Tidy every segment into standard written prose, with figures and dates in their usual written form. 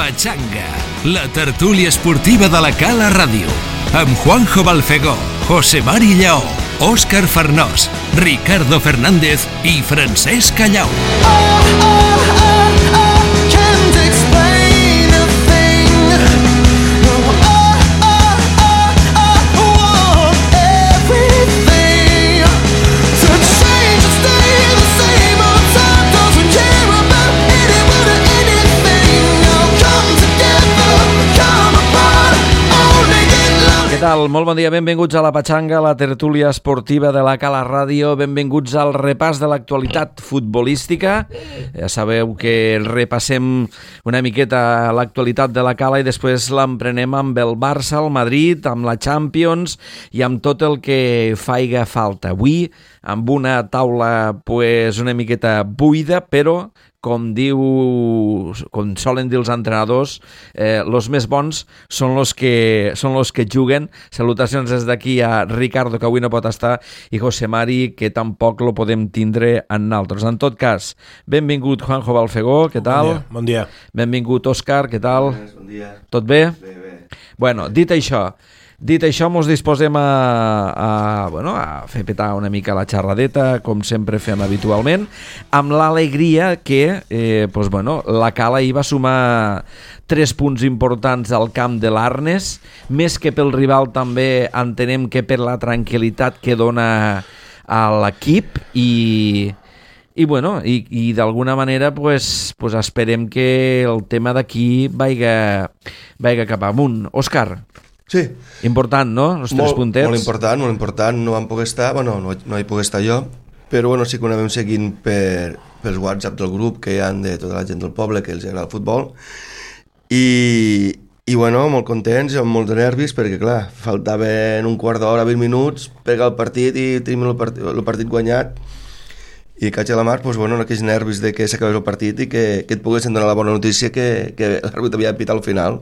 Pachanga, la tertúlia esportiva de la Cala Ràdio, amb Juanjo Balfegó, José Mari Lleó, Òscar Farnós, Ricardo Fernández i Francesc Callau. Què tal? Molt bon dia, benvinguts a la Pachanga, la tertúlia esportiva de la Cala Ràdio, benvinguts al repàs de l'actualitat futbolística. Ja sabeu que repassem una miqueta l'actualitat de la Cala i després l'emprenem amb el Barça, el Madrid, amb la Champions i amb tot el que faiga falta. Avui, amb una taula una miqueta buida, però com solen dir els entrenadors, los més bons són los que juguen. Salutacions des d'aquí a Ricardo, que avui no pot estar, i José Mari, que tampoc lo podem tindre en naltros. En tot cas, benvingut Juanjo Balfegó, què tal? Bon dia. Benvingut Òscar, què tal? Bon dia. Tot bé? Bé. Bueno, dit això, mos disposem a fer petar una mica la xerradeta, com sempre fem habitualment, amb l'alegria que la Cala hi va sumar 3 punts importants al camp de l'Arnes, més que pel rival també entenem que per la tranquil·litat que dona a l'equip i d'alguna manera esperem que el tema d'aquí vaiga cap amunt. Òscar, sí. Important, no? Els 3 puntets. Molt important. No vam poder estar, no hi puc estar jo, però sí que ho anàvem seguint pels WhatsApp del grup que hi ha de tota la gent del poble que els agrada el futbol i molt contents i amb molts nervis perquè, clar, faltaven un quart d'hora, 20 minuts per el partit i tenim el partit guanyat i caig a la mar, aquells nervis de que s'acabés el partit i que et poguessin donar la bona notícia que l'àrbitre havia pitat al final.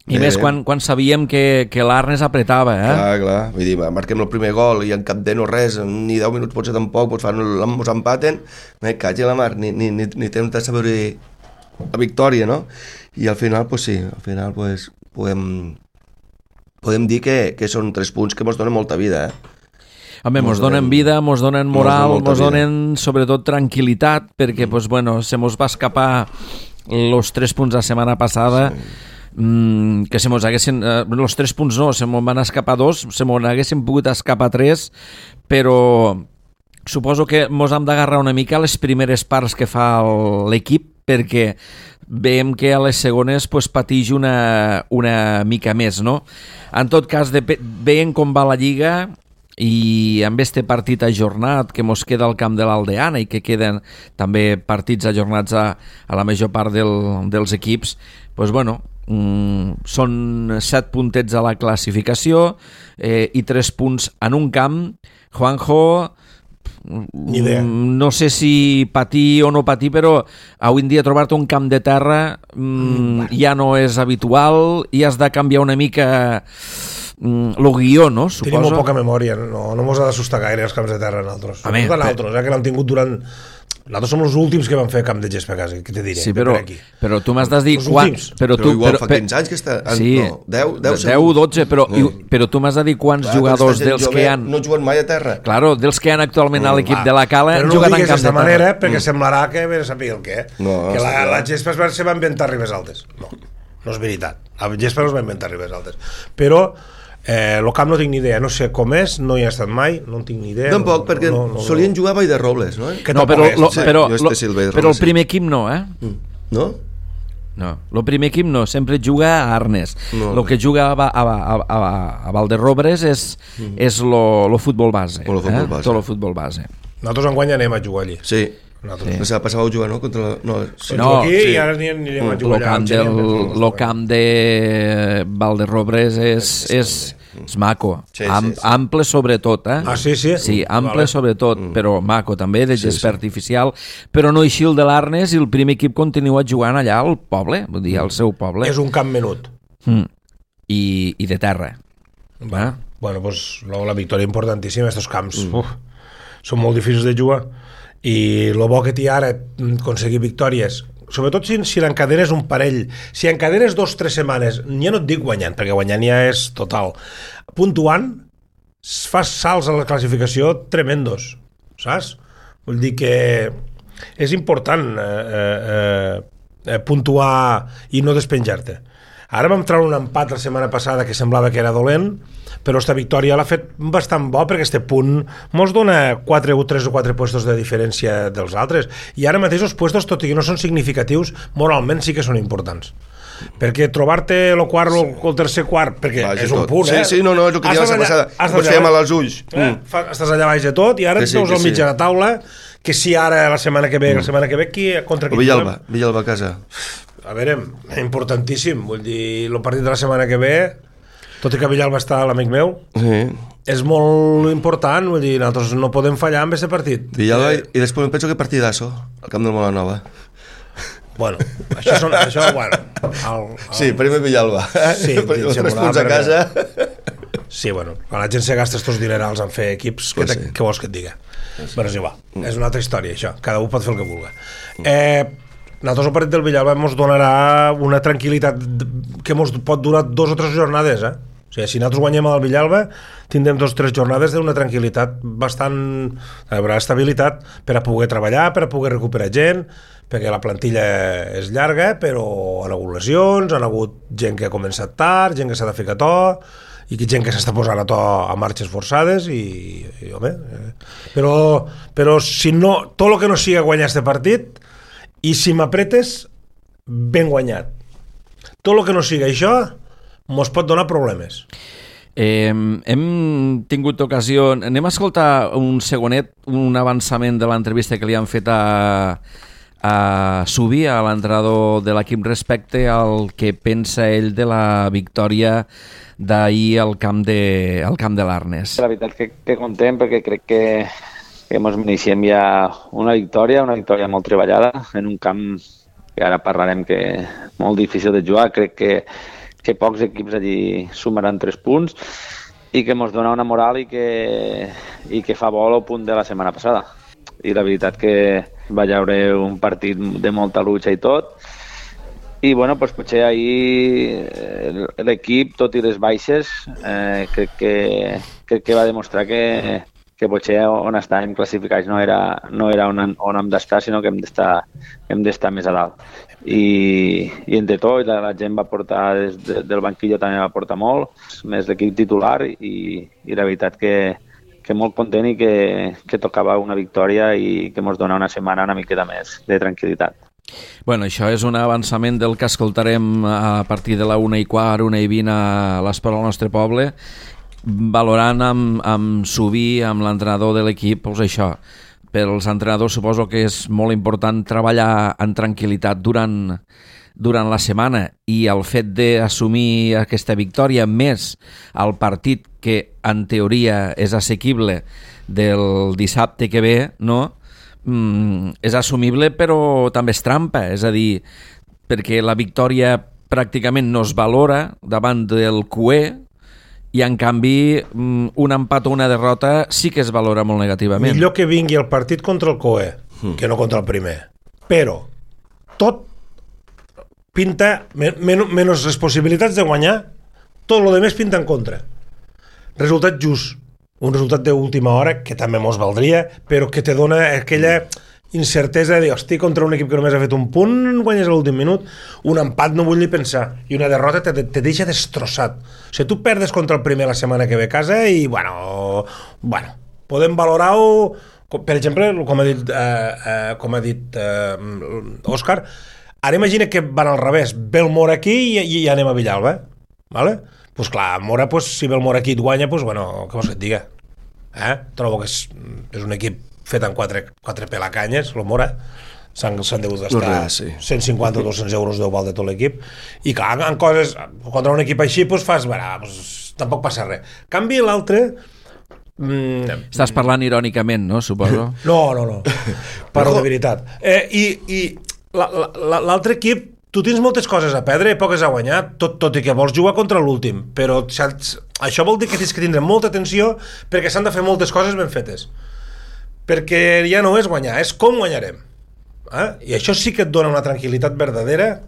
I més quan sabíem que l'Arnes apretava, Clar. Vull dir, marquem el primer gol i en cap de no res, ni 10 minuts potser tampoc, mos empaten, caig a la mar, ni temps de saber la victòria, no? I al final, podem dir que són 3 punts que mos donen molta vida, Home, mos donen vida, mos donen moral, mos donen sobretot tranquil·litat, perquè se mos va escapar els 3 punts la setmana passada, que se mos haguessin... els 3 punts no, se mos van escapar 2, se mos haguessin pogut escapar 3, però suposo que mos hem d'agarrar una mica a les primeres parts que fa l'equip, perquè veiem que a les segones patix una mica més, no? En tot cas, veiem com va la Lliga i amb este partit ajornat que mos queda al camp de l'Aldeana i que queden també partits ajornats a la major part dels equips, són 7 puntets a la classificació i 3 punts en un camp. Juanjo, no sé si patir o no patir, però avui en dia trobar-te un camp de terra ja no és habitual i has de canviar una mica el guió, no? Suposo. Tenim molt poca memòria, no mos ha d'assustar gaire els camps de terra nosaltres. Que l'hem tingut durant... Nosaltres som els últims que vam fer camp de gespa a casa, què te diré? Sí, però tu m'has de dir... Però igual fa 15 anys que està... Sí, 10 o 12, però tu m'has de dir quants jugadors dels que han... No juguen mai a terra. Claro, dels que han actualment a l'equip de la Cala han jugat en camp de terra. Però no ho digues d'aquesta manera, perquè semblarà que sàpiga el què. Que la gespa se va inventar a Ribes Altes. No és veritat. La gespa no es va inventar a Ribes Altes. Però... el camp no tinc ni idea, no sé com és, no hi he estat mai, no en tinc ni idea. Tampoc, perquè solien jugar a Vall de Robles, no? Però el primer equip no, No? No, el primer equip no, sempre juga a Arnes. El que juga a Valderrobres és el futbol base. Tot el futbol base. Nosaltres enguany anem a jugar allí. Sí. No sé, passava a jugar, no? I ara anirem a jugar allà. El camp de Valderrobres és maco, ample sobretot, Sí? Sí, ample sobretot, però maco també, de gespa artificial, però no així el de l'Arnes, i el primer equip continua jugant allà al poble, vull dir, al seu poble. És un camp menut. I de terra. La victòria importantíssima, aquests camps són molt difícils de jugar, i el bo que té ara aconseguir victòries sobretot si l'encadenes un parell, si encadenes 2 o 3 setmanes, ja no et dic guanyant, perquè guanyant ja és total, puntuant, fas salts a la classificació tremendos, saps? Vull dir que és important puntuar i no despenjar-te. Ara vam treure un empat la setmana passada que semblava que era dolent, però esta victòria l'ha fet bastant bo perquè este punt mos dona 3 o 4 puestos de diferència dels altres, i ara mateix els puestos, tot i que no són significatius, moralment sí que són importants, perquè trobar-te el quart o el tercer quart, perquè és un punt, Sí, no, és el que diu la setmana passada, pots fer mal als ulls. Estàs allà baix de tot i ara et veus al mig de la taula, que si ara la setmana que ve, contra qui... Villalba a casa. A veure, importantíssim, vull dir, el partit de la setmana que ve, tot i que Villalba està l'amic meu, és molt important, vull dir, nosaltres no podem fallar amb aquest partit. Villalba, i després em penso que partidasso, al camp del Molanova. Bueno, això bueno... Sí, primer Villalba. Sí, els 3 punts a casa. Sí, bueno, quan la gent se gasta estos dinerals en fer equips, què vols que et diga? Bueno, és igual, és una altra història, això, cada un pot fer el que vulgui. Nosaltres el partit del Villalba ens donarà una tranquil·litat que ens pot durar 2 o 3 jornades, O sigui, si nosaltres guanyem al Villalba, tindrem 2 o 3 jornades d'una tranquil·litat bastant... Hi haurà estabilitat per a poder treballar, per a poder recuperar gent, perquè la plantilla és llarga, però han hagut lesions, han hagut gent que ha començat tard, gent que s'ha de ficar a to, i gent que s'està posant a to a marxes forçades, i home... Però si no, tot el que no sigui guanyar este partit, i si m'apretes, ben guanyat. Tot el que no sigui això mos pot donar problemes. Hem tingut ocasió... Anem a escoltar un segonet, un avançament de l'entrevista que li han fet a Subí, a l'entrenador de l'equip, respecte al que pensa ell de la victòria d'ahir al camp de l'Arnes. La veritat que content, perquè crec que ens mereixem ja una victòria molt treballada, en un camp que ara parlarem que és molt difícil de jugar. Crec que pocs equips allí sumaran 3 punts i que ens dona una moral i que fa bo el punt de la setmana passada. I la veritat que va haver un partit de molta lucha i tot, i bueno, doncs potser ahir l'equip, tot i les baixes, crec que va demostrar que potser on estàvem classificats no era on hem d'estar, sinó que hem d'estar més a dalt. I entre tot, la gent va portar, del banquillo també va portar molt, més l'equip titular, i la veritat que molt content i que tocava una victòria i que ens dona una setmana una miqueta més de tranquil·litat. Bueno, això és un avançament del que escoltarem a partir de la 1:15, 1:20 a l'Esport al nostre poble, valorant amb Subí, amb l'entrenador de l'equip, doncs això, per als entrenadors suposo que és molt important treballar en tranquil·litat durant la setmana, i el fet d'assumir aquesta victòria més el partit que en teoria és assequible del dissabte que ve, no? És assumible, però també és trampa, és a dir, perquè la victòria pràcticament no es valora davant del QE, i en canvi un empat o una derrota sí que es valora molt negativament. Millor que vingui el partit contra el COE que no contra el primer, però tot pinta menys les possibilitats de guanyar, tot el demés pinta en contra. Resultat just, un resultat d'última hora que també mos valdria, però que te dona aquella incertesa de dir, hosti, contra un equip que només ha fet un punt, guanyes a l'últim minut. Un empat no vull ni pensar, i una derrota te deixa destrossat. O sigui, tu perdes contra el primer la setmana que ve a casa i, bueno, podem valorar-ho, per exemple, com ha dit Òscar, ara imagina que van al revés, ve el Mora aquí i anem a Villalba, vale? Pues clar, Mora, si ve el Mora aquí i et guanya, pues bueno, què vols que et diga? Trobo que és un equip fet amb 4 pelacanyes, el Mora, s'han degut gastar 150 o 200 euros de val de tot l'equip, i clar, en coses, contra un equip així, doncs fas, tampoc passa res. Canvi l'altre... Estàs parlant irònicament, no, suposo? No, parlo de veritat. I l'altre equip, tu tens moltes coses a perdre i poques a guanyar, tot i que vols jugar contra l'últim, però això vol dir que tens que tindre molta atenció perquè s'han de fer moltes coses ben fetes. Perquè ja no és guanyar, és com guanyarem. I això sí que et dona una tranquil·litat verdadera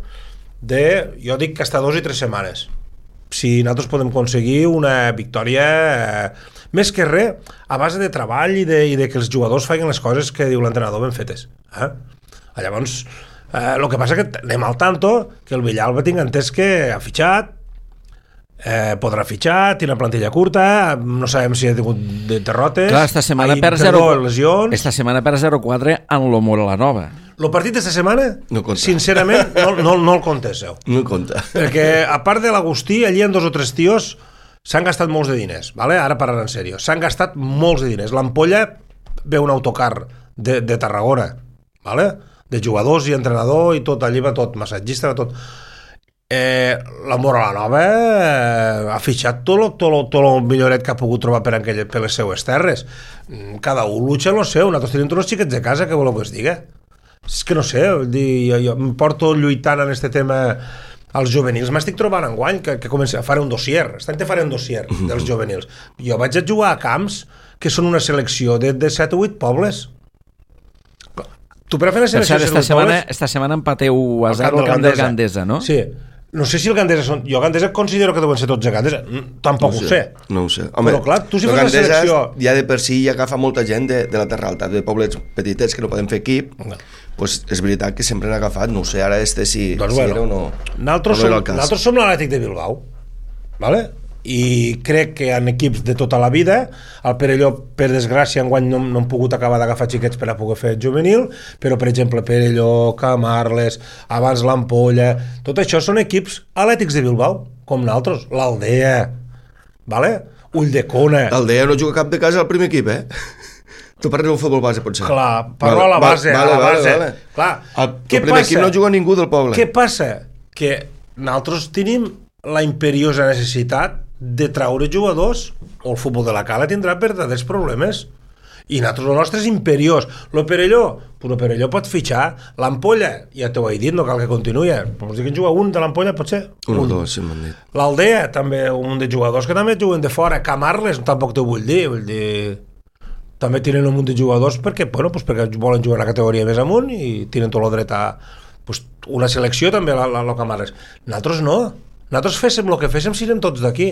de, jo dic que hasta 2 i 3 setmanes. Si nosaltres podem aconseguir una victòria més que res a base de treball i de que els jugadors facin les coses que diu l'entrenador ben fetes. Llavors, el que passa que anem al tanto que el Villalba tinc entès que ha fitxat, podrà fitxar, té una plantilla curta, no sabem si ha tingut derrotes. Clar, esta setmana per 0-4 en l'Omora la Nova. El partit d'esta setmana, sincerament, no el contesseu. No el compta. Perquè, a part de l'Agustí, allí en 2 o 3 tios s'han gastat molts de diners, ¿vale? Ara parlant en sèrio. S'han gastat molts de diners. L'Ampolla ve un autocar de Tarragona, ¿vale? De jugadors i entrenador i tot, allí va tot, massatgista, va tot. La Mora la Nova ha fitxat tot el milloret que ha pogut trobar per les seues terres. Cada un lucha en lo seu. Nosaltres tenim tots els xiquets de casa, que voleu que es diga? És que no sé, jo em porto lluitant en aquest tema als juvenils. M'estic trobant enguany que faré un dossier. Aquest any te faré un dossier dels juvenils. Jo vaig a jugar a camps que són una selecció de 7 o 8 pobles. Tu per a fer la selecció de 7 o 8 pobles... Esta setmana empateu a 0 al camp del Gandesa, no? Sí. No sé si el Gandesa són... Jo Gandesa considero que deuen ser tots a Gandesa. Tampoc ho sé. No ho sé. Home, però clar, tu si fas la selecció... Ja de per si ja agafa molta gent de la Terra Alta, de pobles petitets que no poden fer equip, pues és veritat que sempre han agafat. No ho sé, ara si era o no... Nosaltres som l'Atlètic de Bilbao, ¿vale? I crec que en equips de tota la vida el Perelló, per desgràcia, enguany no han pogut acabar d'agafar xiquets per a poder fer juvenil, però per exemple Perelló, Camarles, abans l'Ampolla, tot això són equips atlètics de Bilbao, com nosaltres, l'Aldea, ¿vale? Ulldecona. L'Aldea no juga cap de casa al primer equip, Tu parles del futbol base, potser. Clar, parlo a la base. Vale. Clar, el primer equip no juga ningú del poble. Què passa? Que nosaltres tenim la imperiosa necessitat de traure jugadors, o el futbol de la Cala tindrà verdaders problemes. I nosaltres, el nostre és imperiós. El Perelló pot fitxar. L'Ampolla, ja t'ho he dit, no cal que continuï. Però si que en juga un de l'Ampolla, pot ser un o dos, si m'han dit. L'Aldea, també, un de jugadors que també juguen de fora. Camarles, tampoc t'ho vull dir. També tenen un munt de jugadors perquè volen jugar a la categoria més amunt i tenen tot el dret a una selecció també a la Camarles. Nosaltres no. Nosaltres féssim el que féssim si anem tots d'aquí.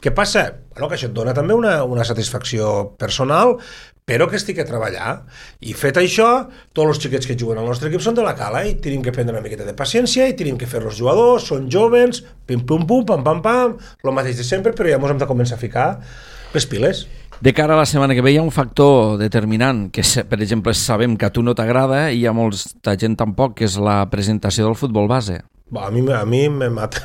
Què passa? Que això et dona també una satisfacció personal, però que estic a treballar. I fet això, tots els xiquets que juguen al nostre equip són de la Cala i tenim que prendre una miqueta de paciència i tenim que fer els jugadors, són jóvens, pim-pum-pum, pam-pam-pam, el mateix de sempre, però ja ens hem de començar a ficar les piles. De cara a la setmana que ve hi ha un factor determinant que, per exemple, sabem que a tu no t'agrada i a molta gent tampoc, que és la presentació del futbol base. A mi me mata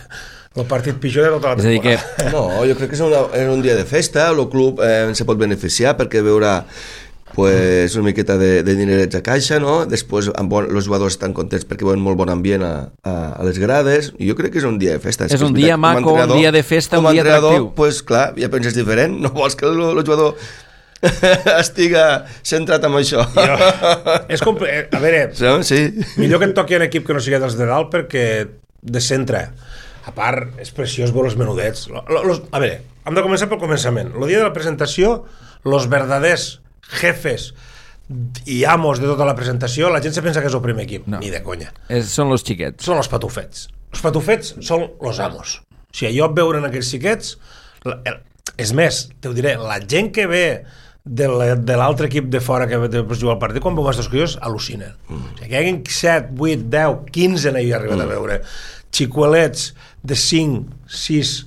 el partit pitjor de tota la temporada. No, jo crec que és un dia de festa, el club se pot beneficiar perquè veurà una miqueta de dinerets a caixa, no? Després els jugadors estan contents perquè veuen molt bon ambient a les grades, i jo crec que és un dia de festa. És un dia maco, un dia de festa, un dia atractiu. Pues clar, ja penses diferent, no vols que el jugador estiga centrat en això. A veure, sí. Millor que et toqui un equip que no sigui dels de dalt perquè de centre. A part, és preciós veure els menudets. A veure, hem de començar pel començament. El dia de la presentació, els verdaders jefes i amos de tota la presentació, la gent se pensa que és el primer equip. No. Ni de conya. Són els xiquets. Són els patufets. Els patufets són els amos. O sigui, jo veure en aquells xiquets... És més, t'ho diré, la gent que ve de l'altre equip de fora que després juga al partit, quan veu aquests crios, al·lucinen. O sigui, que hi hagin 7, 8, 10, 15 n'hi he arribat a veure. Xicuelets de 5, 6,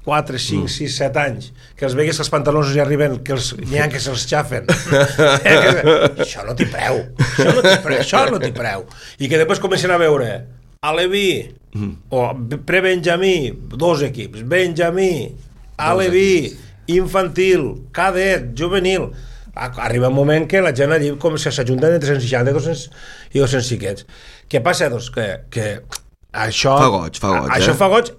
4, 5, 6, 7 anys, que els vegues que els pantalons ja arriben, que n'hi ha que se'ls xafen. Això no t'hi preu. Això no t'hi preu. I que després comencen a veure Aleví, o pre-Benjamí, 2 equips, Benjamí, Aleví, infantil, cadet, juvenil. Arriba un moment que la gent allí com s'ajunten entre 160 i 200 xiquets. Què passa? Doncs que això fa goig,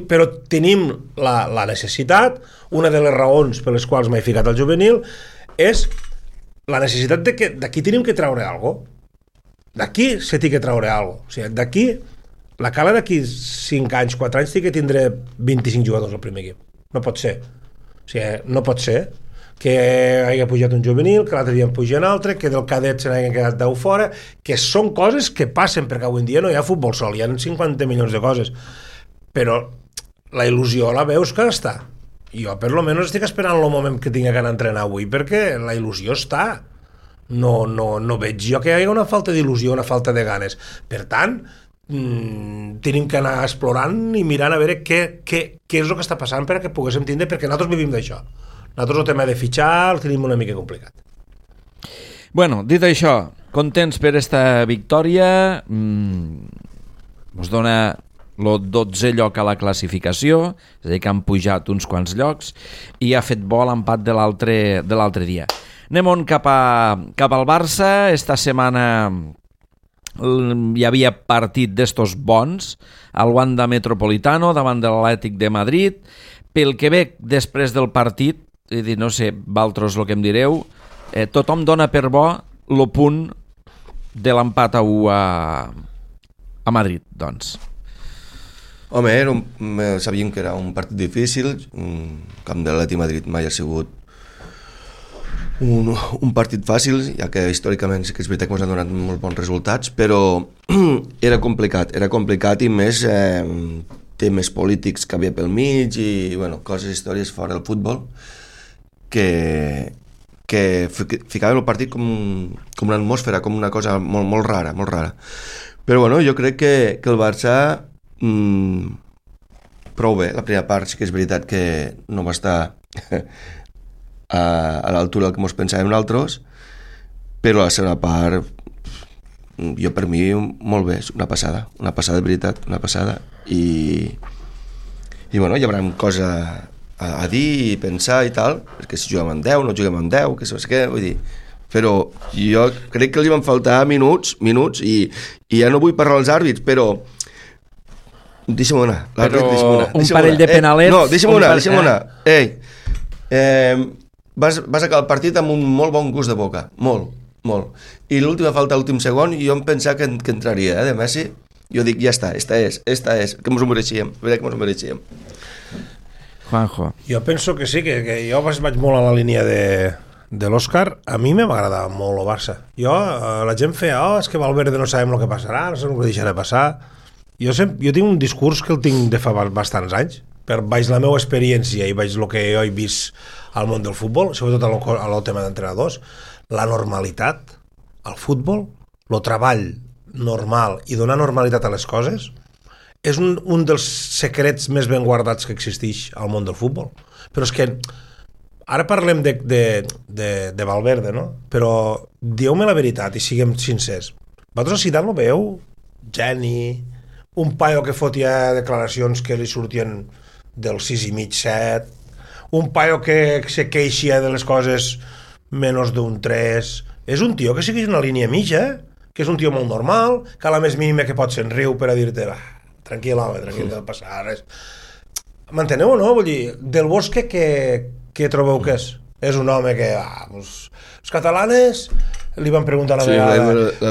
però tenim la necessitat, una de les raons per les quals m'he ficat al juvenil és la necessitat de que d'aquí tenim que treure alguna cosa. D'aquí se té que treure alguna cosa. O sigui, d'aquí, la Cala d'aquí 5 anys, 4 anys té que tindre 25 jugadors al primer equip. No pot ser. O sigui, no pot ser que hagi pujat un juvenil, que l'altre dia en puja un altre, que del cadet se n'hagin quedat 10 fora, que són coses que passen, perquè avui en dia no hi ha futbol sol, hi ha 50 milions de coses, però la il·lusió la veus que està. Jo per lo menos estic esperant el moment que tinc que anar a entrenar avui, perquè la il·lusió està. No veig jo que hi hagi una falta d'il·lusió, una falta de ganes. Per tant, tenim que anar explorant i mirant a veure què és el que està passant perquè poguéssim tindre, perquè nosaltres vivim d'això. Nosaltres el tema de fitxar el tenim una mica complicat. Bueno, dit això, contents per esta victòria, us dona el 12è lloc a la classificació, és a dir, que han pujat uns quants llocs, i ha fet bo l'empat de l'altre dia. Anem cap al Barça. Esta setmana hi havia partit d'estos bons al Wanda Metropolitano davant de l'Atlètic de Madrid. Pel que ve després del partit, no sé, vosaltres el que em direu, tothom dona per bo el punt de l'empat a 1 a Madrid, doncs. Home, sabíem que era un partit difícil, el camp de l'Atlètic Madrid mai ha sigut un partit fàcil, ja que històricament sí que és veritat que ens han donat molts bons resultats, però era complicat i més temes polítics que havia pel mig i coses, històries fora del futbol que ficaven el partit com una atmosfera, com una cosa molt rara. Però jo crec que el Barça prou bé. La primera part sí que és veritat que no va estar a l'altura del que ens pensàvem nosaltres, però la segona part per mi molt bé, una passada de veritat, una passada i hi haurà cosa a dir i pensar i tal, perquè si juguem amb 10, no juguem amb 10, que saps què, vull dir, però jo crec que els van faltar minuts i ja no vull parlar dels àrbits, però deixa'm una. Un parell de penalets. No, deixa'm una. Vas acabar el partit amb un molt bon gust de boca, molt. I l'última falta, l'últim segon, jo em pensava que entraria, de Messi. Jo dic, ja està, esta és, que ens ho mereixíem. Juanjo. Jo penso que sí, que jo vaig molt a la línia de l'Òscar. A mi m'agradava molt el Barça. La gent feia, és que Valverde no sabem el que passarà, no sabem el que deixarà passar. Jo tinc un discurs que el tinc de fa bastants anys, baix la meva experiència i baix el que jo he vist al món del futbol, sobretot al tema d'entrenadors, la normalitat al futbol, el treball normal i donar normalitat a les coses és un dels secrets més ben guardats que existeix al món del futbol. Però és que ara parlem de Valverde, no? Però dieu-me la veritat i siguem sincers. Vosaltres a Zidane lo veieu geni, un paio que fotia declaracions que li sortien del 6,5, 7, un paio que se queixia de les coses menys d'un 3. És un tio que segueix una línia mitja, que és un tio molt normal, que a la més mínima que pot se'n riu per a dir-te, tranquil, home, tranquil, no passa res. M'enteneu o no? Vull dir, del Bosque què trobeu que és? És un home que, els catalanes li van preguntar una vegada,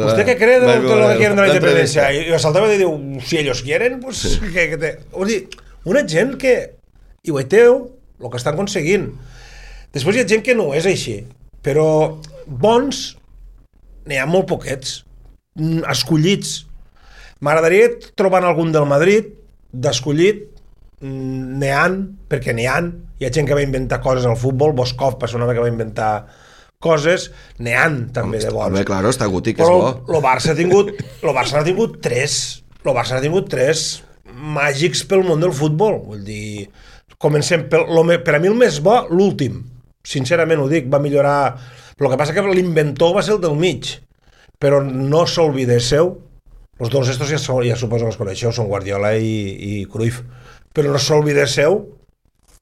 ¿usted qué cree de lo que quieren de la independencia? I saltava i diu, si ellos quieren, pues vull dir, una gent que i ho veiteu, el que estan aconseguint. Després hi ha gent que no és així, però bons n'hi ha molt poquets, escollits. M'agradaria trobar algun del Madrid d'escollit, perquè n'hi ha gent que va inventar coses al futbol, Boskov per ser un home que va inventar coses, n'hi ha també de bons. Home, claro, està Guti, que és bo. Però el Barça ha tingut tres màgics pel món del futbol. Vull dir, comencem per a mi el més bo, l'últim. Sincerament ho dic, va millorar. El que passa que l'inventor va ser el del mig, però no s'oblidéssiu, els dos estos ja suposo que els coneixeu, són Guardiola i Cruyff, però no s'oblidéssiu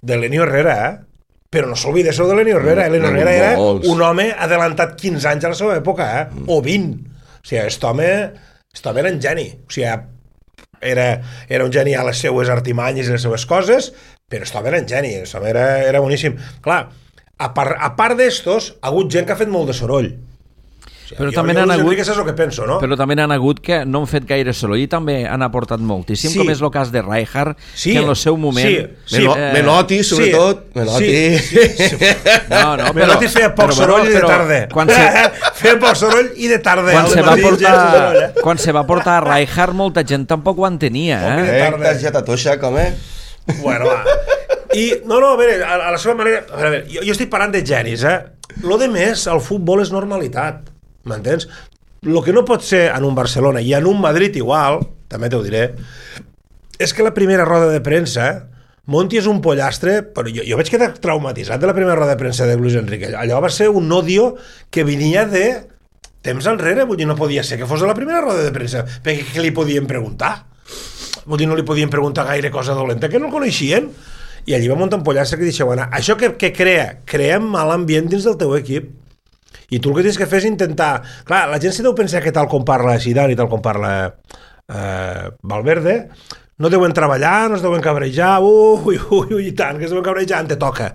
de Lenny Herrera, però no s'oblidéssiu de Lenny Herrera. Lenny Herrera era un home adelantat 15 anys a la seva època, o 20. O sigui, aquest home era un geni. O sigui, era un geni a les seues artimanyes i les seues coses, però aquest home era un geni, aquest home era boníssim. Clar, a part d'estos, ha hagut gent que ha fet molt de soroll. Però també n'han hagut... Enrique, és el que penso, no? Però també n'han hagut que no han fet gaire solo i també han aportat moltíssim, com és el cas de Rijkaard, que en el seu moment... Menotti, sobretot. Menotti feia poc soroll i de tarda. Feia poc soroll i de tarda. Quan se va portar a Rijkaard, molta gent tampoc ho entenia. T'has ja t'atoixa, com Bueno, va. I, a veure, a la seva manera... A veure, jo estic parlant de genis, Lo de més, el futbol és normalitat. M'entens? El que no pot ser en un Barcelona i en un Madrid igual, també t'ho diré, és que la primera roda de premsa, Monti és un pollastre, però jo vaig quedar traumatitzat de la primera roda de premsa de Luis Enrique. Allò va ser un odio que venia de temps enrere, vull dir, no podia ser que fos de la primera roda de premsa, perquè què li podien preguntar? Vull dir, no li podien preguntar gaire cosa dolenta, que no el coneixien, i allí va muntar un pollastre que deixa, bueno, això que crea mal ambient dins del teu equip. I tu el que tens que fer és intentar... Clar, la gent se deu pensar que tal com parla Zidane i tal com parla Valverde, no deuen treballar, no es deuen cabrejar, i tant, que es deuen cabrejar, ante toca.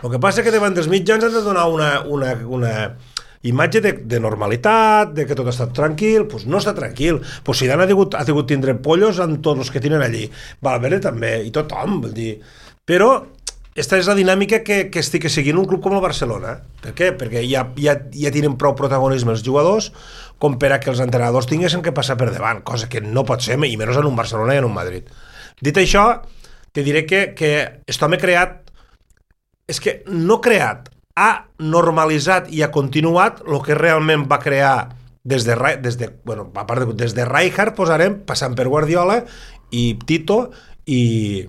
El que passa és que davant dels mitjans han de donar una imatge de normalitat, de que tot està tranquil, doncs no està tranquil. Doncs Zidane ha tingut tindre pollos amb tots els que tenen allí. Valverde també, i tothom, vol dir... Però... Esta és la dinàmica que estic seguint un club com el Barcelona. Per què? Perquè ja tenen prou protagonisme els jugadors com per a que els entrenadors tinguessin que passar per davant, cosa que no pot ser, i menys en un Barcelona i en un Madrid. Dit això, te diré que aquest home creat, és que no creat, ha normalitzat i ha continuat el que realment va crear des de Rijkaard, posarem, passant per Guardiola i Tito i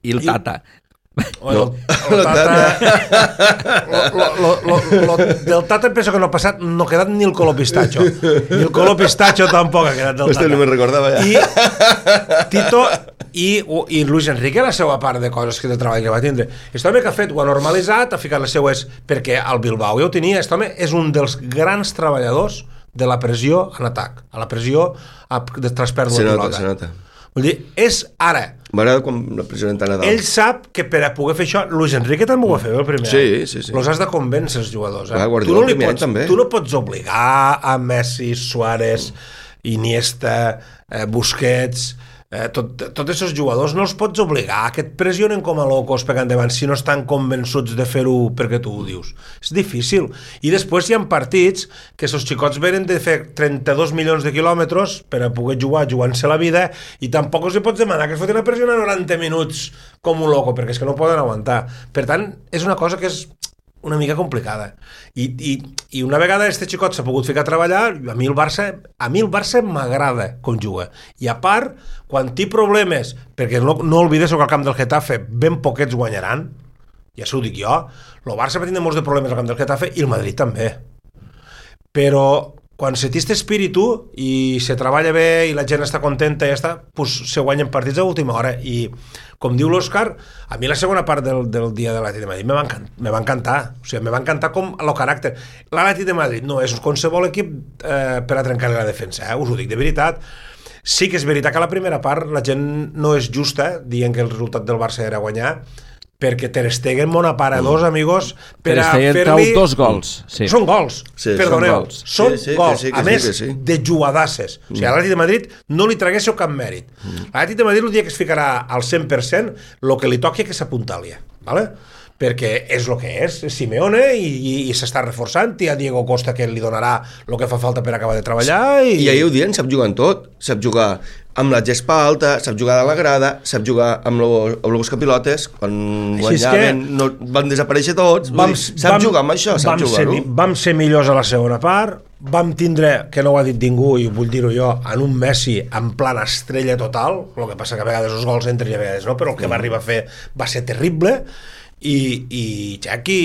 el Tata. Del Tata em penso que no ha passat, no ha quedat ni el color pistatxo, ni el color pistatxo tampoc ha quedat del Tata. No me'n recordava ja. I Tito i Luis Enrique, la seva part de coses que de treball que va tindre, aquest home que ha fet, ho ha normalitzat, ha ficat les seues, perquè al Bilbao ja ho tenia. Aquest home és un dels grans treballadors de la pressió en atac, a la pressió de traspèrdua de pilota. Se nota. Vull dir, és ara. M'agrada com la pressió en tant a dalt. Ell sap que per a poder fer això, Luis Enrique també ho va fer el primer. Sí. Els has de convèncer els jugadors. Tu no pots obligar a Messi, Suárez, Iniesta, Busquets, tots aquests jugadors no els pots obligar que et pressionen com a locos pegant davant si no estan convençuts de fer-ho perquè tu ho dius. És difícil. I després hi ha partits que els xicots venen de fer 32 milions de quilòmetres per a poder jugant-se la vida, i tampoc els pots demanar que es fotin a pressionar 90 minuts com un loco, perquè és que no poden aguantar. Per tant, és una cosa que és una mica complicada. I una vegada este xicot s'ha pogut ficar a treballar, a mi el Barça m'agrada com juga. I a part, quan té problemes, perquè no oblides que al camp del Getafe ben poquets guanyaran, ja s'ho dic jo, el Barça va tindre molts de problemes al camp del Getafe i el Madrid també. Però quan se té este espíritu i se treballa bé i la gent està contenta i ja està, pues se guanyen partits a última hora. I com diu l'Òscar, a mi la segona part del dia de l'Atlètic de Madrid me va encantar. O sigui, me va encantar com el caràcter. L'Atlètic de Madrid no és qualsevol equip per a trencar-li la defensa, us ho dic de veritat. Sí que és veritat que a la primera part la gent no és justa dient que el resultat del Barça era guanyar, perquè Ter Stegen monapara dos amigos per a fer-li... dos gols. Sí. Són gols, perdoneu. Són gols, a més de jugadasses. O sigui, a l'Atlètic de Madrid no li traguéssiu cap mèrit. L'Atlètic de Madrid el dia que es ficarà al 100%, el que li toqui que s'apuntalia, ¿vale? Perquè és el que és Simeone i s'està reforçant, i a Diego Costa que li donarà el que fa falta per acabar de treballar. I ahir ho dient, sap jugar en tot, sap jugar amb la gespa alta, sap jugar a la grada, sap jugar amb els capilotes, quan guanyaven no van desaparèixer tots, sap jugar amb això, sap jugar-ho. Vam ser millors a la segona part, vam tindre, que no ho ha dit ningú i vull dir-ho jo, en un Messi en plan estrella total, el que passa que a vegades els gols entren i a vegades no, però el que va arribar a fer va ser terrible. I Xaqui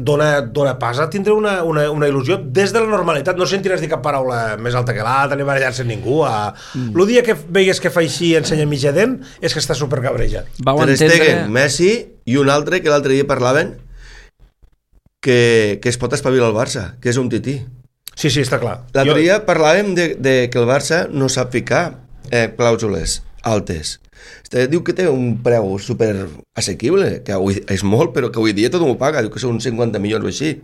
dona pas a tindre una il·lusió des de la normalitat. No sentiràs dir cap paraula més alta que l'altra ni barallar-se amb ningú. El dia que veigues que fa així i ensenya mitja dent és que està supercabrejat. Ter Stegen, Messi i un altre que l'altre dia parlaven que es pot espavilar el Barça, que és un tití. Sí, està clar. L'altre dia parlàvem de que el Barça no sap ficar clàusules altes. Diu que té un preu super assequible, que avui és molt, però que avui dia tot m'ho paga, diu que són 50 milions o així.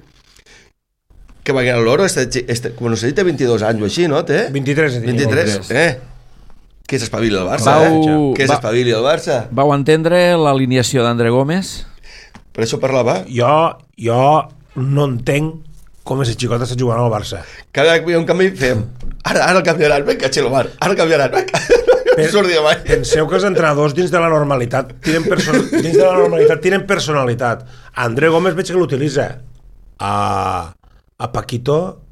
que va guanyar l'Oro, no sé si té 22 anys o així, no? Té? 23. Que s'espavili el Barça, que s'espavili el Barça. Vau entendre l'alineació d'André Gómez? Per això parlava. Jo no entenc com és el xicot està jugant al Barça. Cada vegada que hi ha un canvi fem ara el canviaran, venga, Xelomar, ara el canviaran, venga. Penseu que els entrenadors dins de la normalitat tienen personalitat. André Gómez veig que l'utilitza. A Paquito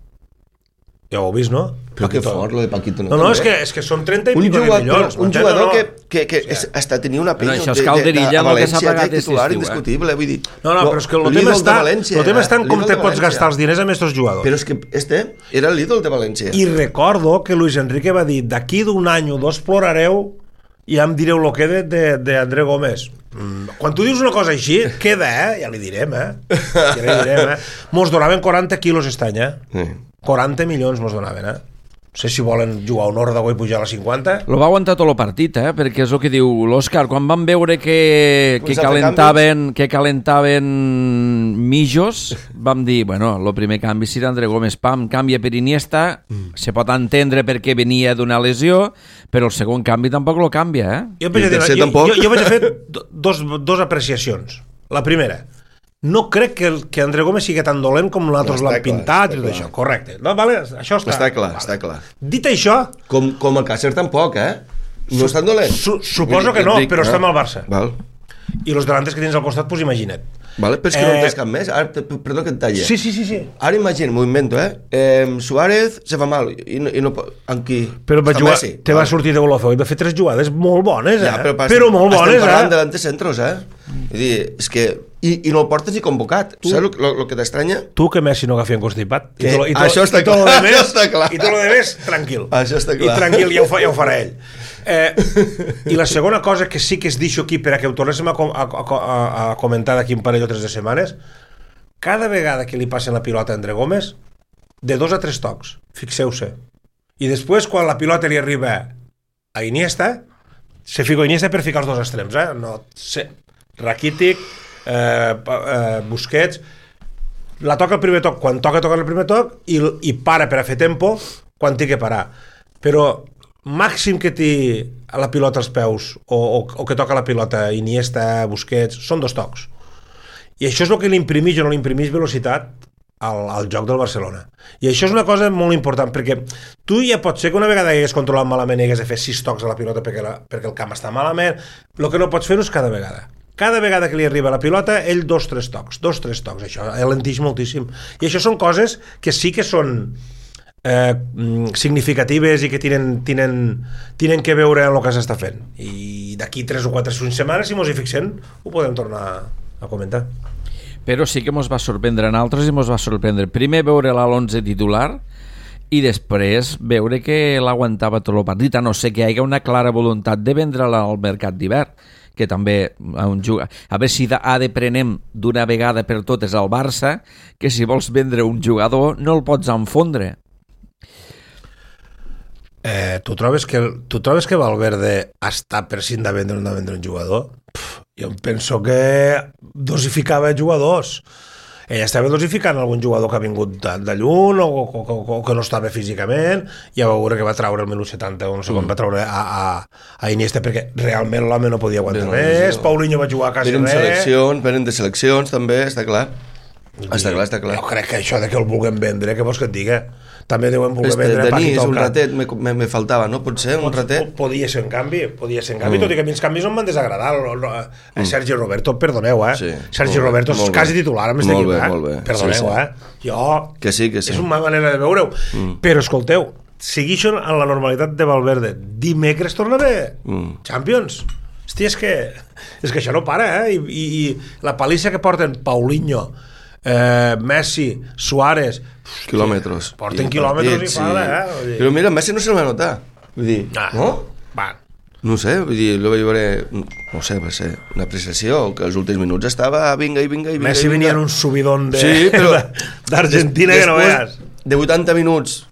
ja ho heu vist, no? Però que fort, lo de Paquito. No, és que són 30 i pico de milions. Un jugador que hasta tenia una penya això és Calderilla, a València, que titular indiscutible, vull dir. No, però és que el tema està en com te pots gastar els diners amb aquests jugadors. Però és que era l'ídol de València. I recordo que Luis Enrique va dir, d'aquí d'un any o dos plorareu i ja em direu el que d'André Gómez. Quan tu dius una cosa així, queda, ja li direm, Mos donaven 40 quilos aquest any, 40 milions mos donaven, No sé si volen jugar un ordre i pujar a la 50. Lo va aguantar tot el partit, perquè és el que diu l'Òscar. Quan van veure que calentaven mijos, vam dir, bueno, el primer canvi serà André Gómez, pam, canvia per Iniesta, se pot entendre perquè venia d'una lesió, però el segon canvi tampoc lo canvia, Jo vaig a fer dos apreciacions. La primera, no crec que André Gómez sigui tan dolent com nosaltres l'han pintat i tot això, correcte. No, vale, això està clar. Dit això... Com el Càcer tampoc, No és tan dolent. Suposo que no, però està amb el Barça. Val. I els delantes que tens al costat, pues imagina't. Vale, però és que no tens cap més. Perdó que et talli. Sí. Ara imagina, m'ho invento, Suárez se fa mal i no amb qui? Però te va sortir de Golofeu i va fer 3 jugades molt bones, Ja, però molt bones, Estem parlant delantes centros, Vull dir, és que... I no el portes ni convocat. Saps el que t'estranya? Tu que Messi no agafi constipat. Això està clar. I tot el demés, tranquil. Això està clar. I tranquil, ja ho farà ell. I la segona cosa que sí que es deixo aquí per a que ho tornéssim a comentar d'aquí un parell o 3 de setmanes, cada vegada que li passen la pilota a André Gómez, de 2 a 3 tocs, fixeu-se. I després, quan la pilota li arriba a Iniesta, se fica Iniesta per ficar els 2 extrems, no sé, Rakitic, Busquets, la toca el primer toc quan toca el primer toc i para per a fer tempo quan té que parar, però màxim que té la pilota als peus o que toca la pilota Iniesta, Busquets, són 2 tocs, i això és el que li imprimeix o no li imprimeix velocitat al joc del Barcelona. I això és una cosa molt important, perquè tu ja pot ser que una vegada hagués controlat malament i hagués de fer 6 tocs a la pilota perquè el camp està malament. El que no pots fer-ho és cada vegada que li arriba la pilota, ell 2-3 tocs, això alentix moltíssim. I això són coses que sí que són significatives i que tenen que veure en el que s'està fent. I d'aquí 3 o 4 setmanes, si mos hi fixem, ho podem tornar a comentar. Però sí que mos va sorprendre en altres i mos va sorprendre primer veure l'11 titular i després veure que l'aguantava tot el partit, a no ser que hi hagi una clara voluntat de vendre'la al mercat d'hivern, que també a veure si ha de prenem d'una vegada per totes al Barça, que si vols vendre un jugador no el pots enfondre. Tu trobes que Valverde està per si de vendre un jugador? Jo penso que dosificava jugadors. Ell estava dosificant algun jugador que ha vingut de lluny o que no estava físicament. Ja va veure que va treure el 1970 o no sé com va treure a Iniesta, perquè realment l'home no podia aguantar més. Paulinho va jugar quasi res. Venen de seleccions també, està clar. Està clar. Jo crec que això de que el vulguem vendre, què vols que et diga? També deuen voler vendre Paquito. Un ratet me faltava, no? Potser un ratet. Podia ser en canvi, tot i que a mi els canvis no em van desagradar. Sergi Roberto, perdoneu, Sergi Roberto és quasi titular amb este equip, perdoneu, jo... Que sí. És una manera de veure-ho. Però escolteu, seguixen en la normalitat de Valverde. Dimecres torna bé Champions. Hòstia, és que això no para, i la palissa que porten Paulinho, Messi, Suárez, quilòmetres, porten quilòmetres i fala, però mira, Messi no se va notar, vull dir, no? No sé, vull dir, lo vaig veure, no sé, va ser una apreciació, que els últims minuts estava vinga. Messi venia en un subidón d'Argentina que no veas. De 80 minuts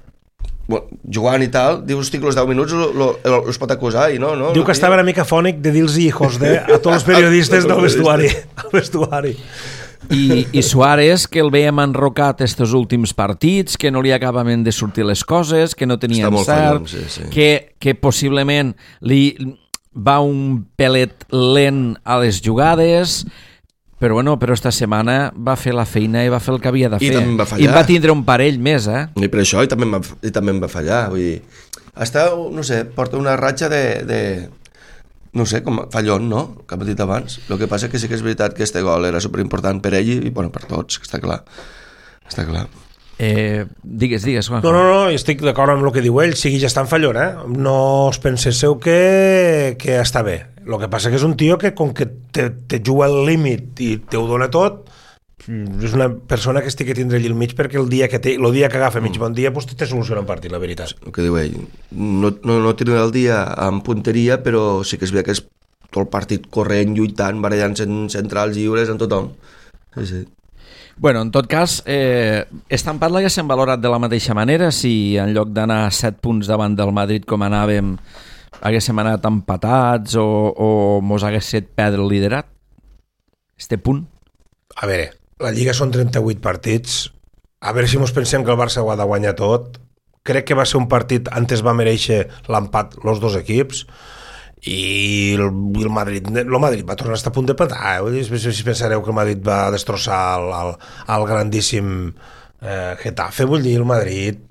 jugant i tal, dius, hosti, que els 10 minuts els pot acusar i no. Diu que estava una mica fònic de dir-los hijos de a tots els periodistes del vestuari. I Suárez, que el veiem enrocat estos últims partits, que no li acabaven de sortir les coses, que no tenia encert, que possiblement li va un pelet lent a les jugades, però esta setmana va fer la feina i va fer el que havia de fer. I va tindre un parell més, I per això, i també em va fallar. Vull dir, no sé, porta una ratxa de no sé, com fallón, no? Com he dit abans. El que passa que sí que és veritat que este gol era superimportant per ell i per tots, que està clar. Està clar. Digues, Juan. No, estic d'acord amb el que diu ell, sigui, ja està en fallón, no us penseu que està bé. El que passa que és un tio que com que te juga al límit i te ho dona tot, és una persona que estic a tindre allà al mig perquè el dia que agafa mig bon dia pues te soluciona un partit, la veritat. El que diu ell, no tindrà el dia amb punteria, però sí que és veritat que és tot el partit corrent, lluitant, barallant-se en centrals lliures, en tothom. Sí. Bueno, en tot cas, estampat l'haguéssim valorat de la mateixa manera si en lloc d'anar 7 punts davant del Madrid com anàvem haguéssim anat empatats o mos hagués fet perdre el liderat? Este punt? A veure, la Lliga són 38 partits, a veure si mos pensem que el Barça ho ha de guanyar tot. Crec que va ser un partit, antes va mereixer l'empat els dos equips, i el Madrid va tornar a estar a punt de petar, si pensareu que el Madrid va destrossar el grandíssim Getafe, vull dir, el Madrid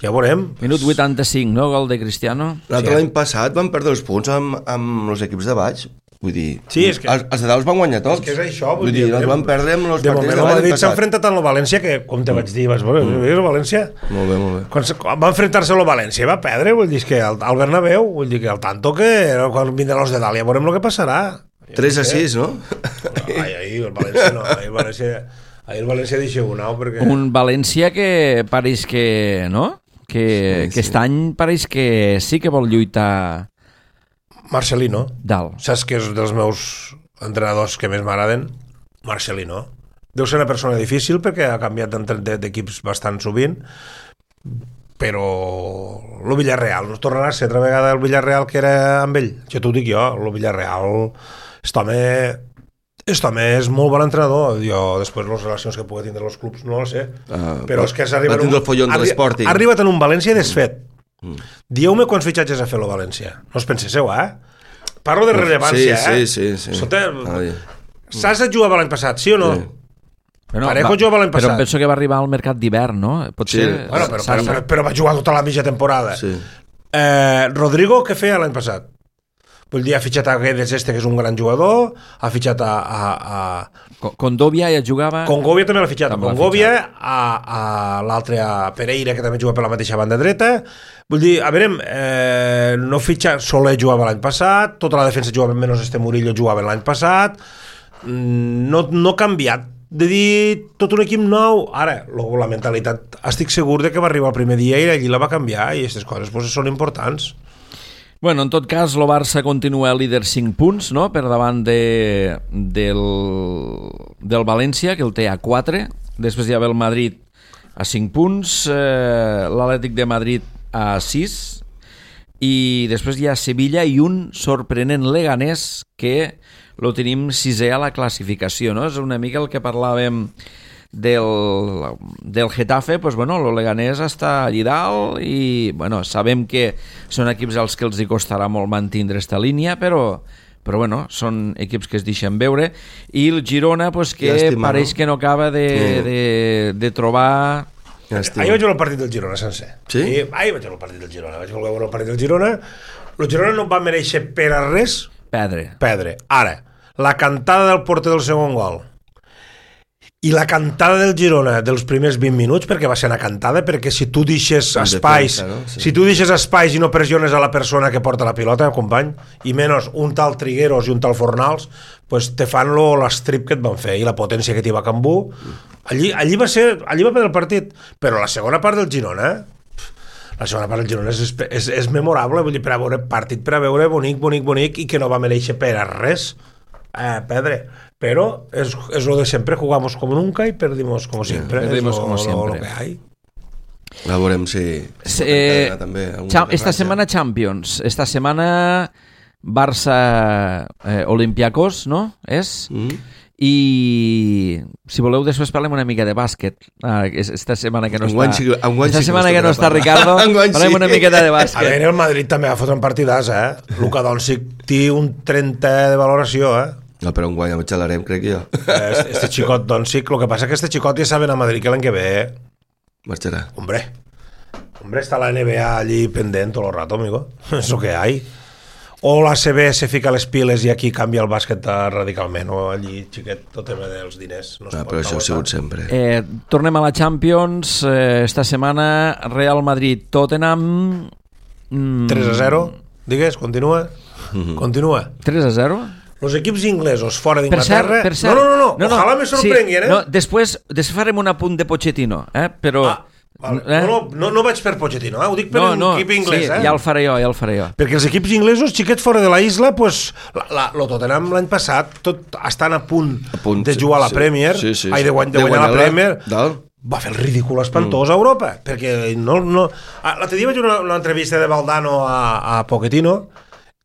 ja veurem. Minut 85, no? Gol de Cristiano. L'any passat van perdre els punts amb els equips de baix. Vull dir, sí, és que els de dalt van guanyar tots. És que és això, vull dir, els van perdre amb els partits de baix. El Madrid s'ha enfrentat amb el València, que, com te vaig dir, vas veure, el València? Molt bé. Quan va enfrentar-se amb el València va perdre, vull dir, que al Bernabéu, vull dir que al tanto que quan vindran els de dalt ja veurem el que passarà. 3-6, no? Ahir el València no, ahir el València deixa un perquè... Un València que pareix que, no? Que aquest any pareix que sí que vol lluitar... Marcelino. Dalt. Saps que és dels meus entrenadors que més m'agraden? Marcelino. Deu ser una persona difícil perquè ha canviat d'equips bastant sovint, però el Villarreal, no tornarà a ser altra vegada el Villarreal que era amb ell. Ja t'ho dic jo, el Villarreal, aquest home és molt bon entrenador. Jo, després, les relacions que pugui tindre els clubs, no ho sé. Però és que ha arribat en un València desfet. Dieu-me quants fitxatges ha fet el València. No us penseu, Parlo de rellevància, Sí. Sasa jugava l'any passat, sí o no? Parejo jugava l'any passat. Però penso que va arribar al mercat d'hivern, no? Potser... Però va jugar tota la mitja temporada. Rodrigo, què feia l'any passat? Vull dir, ha fitxat a Guedes que és un gran jugador, ha fitxat a... Condovia ja jugava... Congovia també l'ha fitxat. Congovia, a l'altre, a Pereira, que també juga per la mateixa banda dreta. Vull dir, a veure, no fitxa... Soler jugava l'any passat, tota la defensa jugava menys Murillo jugava l'any passat. No ha canviat. De dir, tot un equip nou. Ara, la mentalitat, estic segur de que va arribar el primer dia i allí la va canviar i aquestes coses són importants. Bueno, en tot cas, el Barça continua líder 5 punts, no?, per davant del València, que el té a 4. Després hi ha el Madrid a 5 punts, l'Atlètic de Madrid a 6, i després hi ha Sevilla i un sorprenent Leganés que lo tenim 6è a la classificació, no? És una mica el que parlàvem del Getafe, pues bueno, el Leganés està allí dalt i bueno, sabem que són equips als que els hi costarà molt mantindre esta línia, però bueno, són equips que es deixen veure, i el Girona pues, que pareix que no acaba de trobar... Ahir vaig veure el partit del Girona sencer. Sí? Ahir vaig veure el partit del Girona. Vaig veure el partit del Girona. El Girona no va mereixer per a res perdre. Ara, la cantada del porter del segon gol i la cantada del Girona dels primers 20 minuts, perquè va ser una cantada, perquè si tu deixes espais, si tu deixes espais i no pressiones a la persona que porta la pilota, company, i menys un tal Trigueros i un tal Fornals, pues te fan l'estrip que et van fer i la potència que t'hi va Cambú. Allí va perdre el partit, però la segona part del Girona és memorable, vull dir, per a veure partit, per a veure bonic, i que no va mereixer per a res perdre. Pero es lo de siempre, jugamos como nunca y perdimos como siempre. Como siempre. Lo que hay. La veurem si esta setmana Champions, esta setmana Barça Olympiacos, no? És? i si voleu després parlem una mica de bàsquet. Esta setmana que no esta setmana que no està Ricardo parlem una miqueta de bàsquet. A veure, el Madrid també va fotre un partidàs, Luka Doncic té un 30 de valoració, No, però enguany amb xalarem, crec jo. Este xicot Doncic, lo que passa que este xicot ja saben a Madrid que l'any que ve marxarà. Hombre, está la NBA allí pendent todo el rato, amigo. Es lo que hay. O la CB se fica les piles i aquí canvia el bàsquet radicalment, o allí, xiquet, tot tema dels diners. No però això ha sigut sempre. Tornem a la Champions. Esta setmana Real Madrid-Tottenham 3-0, digues, continua. Continua. 3-0? Los equips inglesos fora d'Inglaterra... Per cert, no, ojalà me sorprenguin, No, després farem un apunt de Pochettino, però... Vale. No vaig per Pochettino, ho dic per l'equip inglès. Sí, ja el faré jo. Perquè els equips inglesos, xiquets fora de la isla, pues, lo Tottenham l'any passat, tot estan a punt de jugar a la Premier, de guanyar la Premier, va fer el ridícul espantós a Europa, perquè l'altre dia vaig veure una entrevista de Valdano a Pochettino,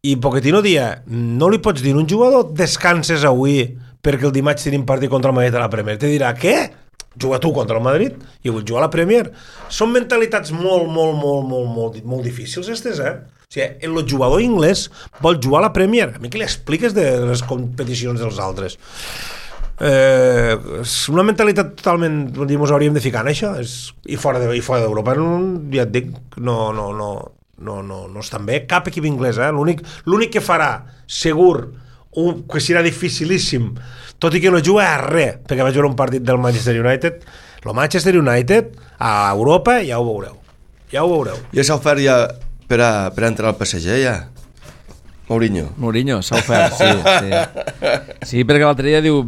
i Pochettino dia, no li pots dir a un jugador descanses avui perquè el dimarts tenim partit contra el Madrid a la Premier. Te dirà, què? Juga tu contra el Madrid i vull jugar a la Premier. Són mentalitats molt difícils, aquestes, O sigui, el jugador anglès vol jugar a la Premier. A mi què li expliques de les competicions dels altres? És una mentalitat totalment... Ens hauríem de ficar en això. I fora d'Europa, ja et dic, no estan bé. Cap equip inglès, L'únic que farà, segur, que serà dificilíssim, tot i que no juga a res, perquè vaig veure un partit del Manchester United. El Manchester United a Europa ja ho veureu. Ja s'ha ofert ja per entrar al PSG, ja? Mourinho s'ha ofert, sí. Sí, perquè l'altre dia diu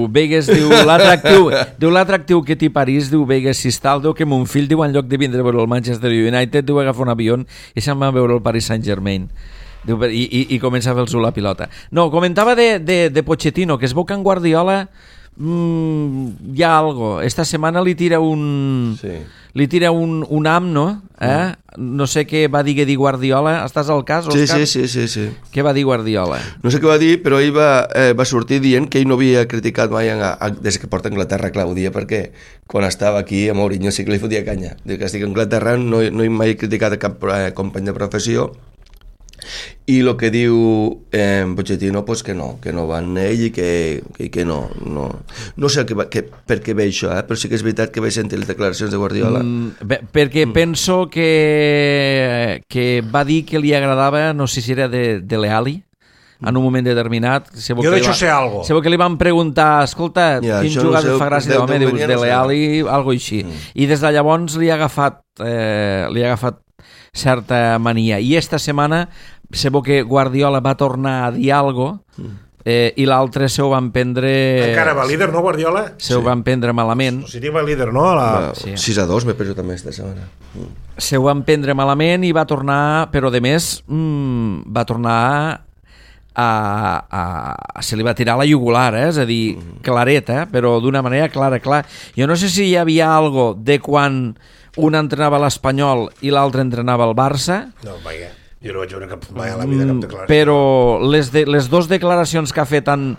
Vegas, l'atractiu que té París, diu Vegas Sistal, diu que mon fill, diu, en lloc de vindre a veure el Manchester United, diu, agafa un avió i se'n va a veure el Paris Saint-Germain. I comença a fer-los la pilota. No, comentava de Pochettino, que es veu que en Guardiola hi ha algo. Esta setmana li tira un am, no? No sé què va dir Guardiola. Estàs al cas, Òscar? Sí. Què va dir Guardiola? No sé què va dir, però ell va sortir dient que ell no havia criticat mai des que porta a Anglaterra, clar, ho dia perquè quan estava aquí a Mourinho sí que li fotia canya. Diu que estic a Anglaterra, no he mai criticat a cap company de professió. I el que diu Pochettino, pues que no van ell i que no sé per què ve això, però sí que és veritat que vaig sentir les declaracions de Guardiola perquè penso que va dir que li agradava, no sé si era de Leali en un moment determinat. Jo d'això sé algo. Sabeu que li van preguntar, escolta, quin jugador fa gràcia d'home? Dius, de Leali, algo així. I des de llavors li ha agafat certa mania. I esta setmana sabeu que Guardiola va tornar a dir alguna cosa i l'altre se ho van prendre... Encara va líder, no, Guardiola? Se ho van prendre malament. O sigui, va líder, no? 6-2 me penso també esta setmana. Se ho van prendre malament i va tornar, però de més va tornar se li va tirar la jugular, és a dir, claret, però d'una manera clara. Jo no sé si hi havia algo de quan un entrenava l'Espanyol i l'altre entrenava el Barça. No, vaja. Jo no vaig veure mai a la vida cap declaració. Però les dues declaracions que ha fet en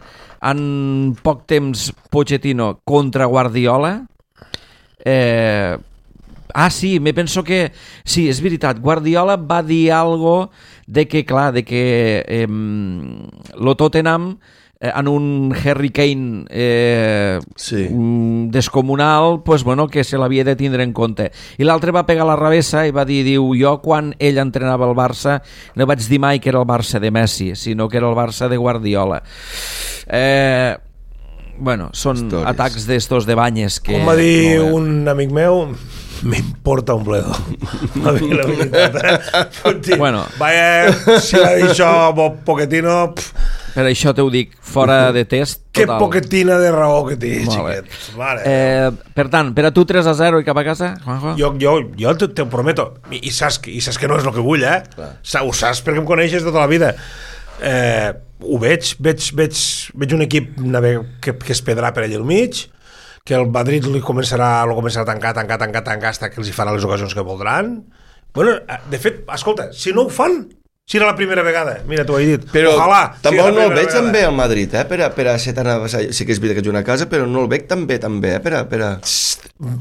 poc temps Pochettino contra Guardiola... sí, me penso que... Sí, és veritat, Guardiola va dir algo de que, clar, lo Tottenham en un Harry Kane descomunal, pues, bueno, que se l'havia de tindre en compte. I l'altre va pegar la revessa i va dir, jo quan ell entrenava el Barça no vaig dir mai que era el Barça de Messi, sinó que era el Barça de Guardiola. Bueno, són atacs d'estos de banyes que... Com va dir un amic meu, m'importa un bledo. Va dir la veritat, Bueno. Vaya, si va dir això Pochettino... Per això t'ho dic, fora de test total. Que poquetina de raó que té, xiquet. Per tant, per a tu 3-0 i cap a casa, Juanjo? Jo te ho prometo. I saps que no és el que vull, Ho saps perquè em coneixes tota la vida. Ho veig un equip que es pedrà per allà al mig, que el Madrid lo començarà a tancar fins que els hi farà les ocasions que voldran. Bueno, de fet, escolta, si no ho fan, Si era la primera vegada, mira, t'ho he dit. Però ojalà, tampoc no el veig tan bé al Madrid, per a ser tan avasall. Sí que és vida que juga a casa, però no el veig tan bé, per a...